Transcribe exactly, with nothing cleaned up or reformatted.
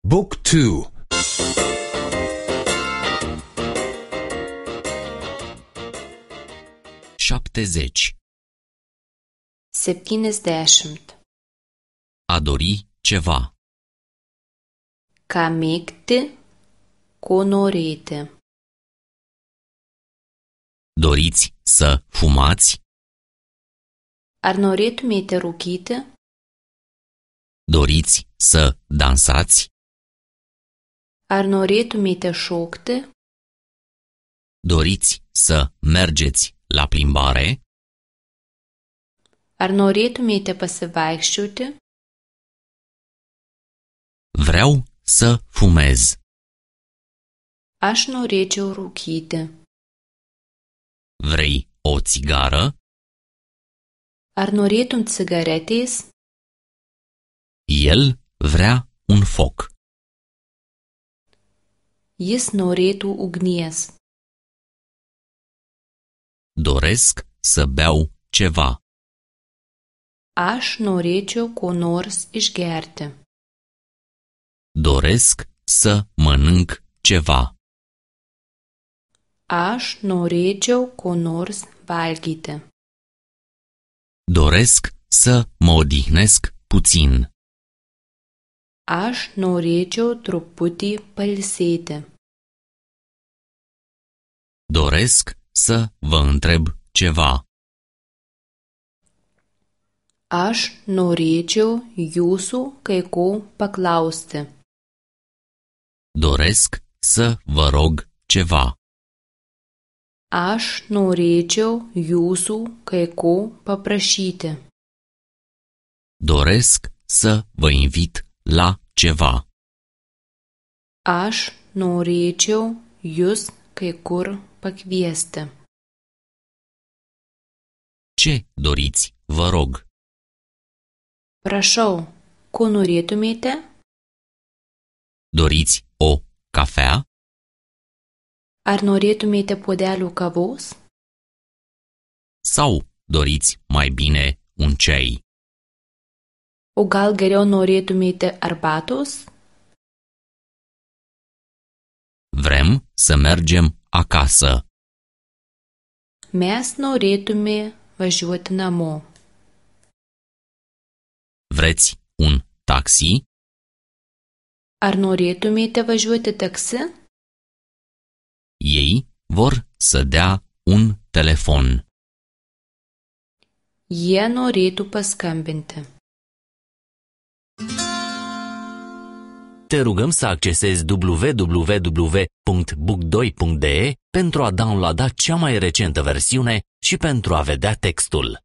Book two. șaptezeci. septyniasdešimt. A dori ceva. Ką mėgti, ko norėti. Doriți să fumați? Ar norėtumėte rūkyti? Doriți să dansați? Ar norėtumėte šokti? Doriți să mergeți la plimbare? Ar norėtumėte pasivaikščioti? Vreau să fumez. Aš norėčiau rūkyti. Vrei o țigară? Ar norėtum cigaretės? El vrea un foc. Jis norėtų ugnies. Doresc să beau ceva. Aš norėčiau ko nors išgerti. Doresc să mănânc ceva. Aš norėčiau ko nors valgyti. Doresc să mă odihnesc puțin. Aš norėčiau truputį pailsėti. Doresc să vă întreb ceva. Aš norėčiau jūsų kai ko paklausti. Doresc să vă rog ceva. Aš norėčiau jūsų kai ko paprašyti. Doresc să vă invit la ceva. Aš norėčiau jūs kai kur pakviesti. Ce doriți, vă rog? Prašau, ko norėtumėte? Doriți o cafea? Ar norėtumėte puodelių kavos? Sau doriți mai bine un ceai? O gal geriau norėtumėte arbatos? Vrem să mergem acasă. Mes norėtume važiuoti namo. Vreți un taxi? Ar norėtumėte važiuoti taksi? Ei vor să dea un telefon. Jie norėtų paskambinti. Te rugăm să accesezi w w w punct book doi punct d e pentru a downloada cea mai recentă versiune și pentru a vedea textul.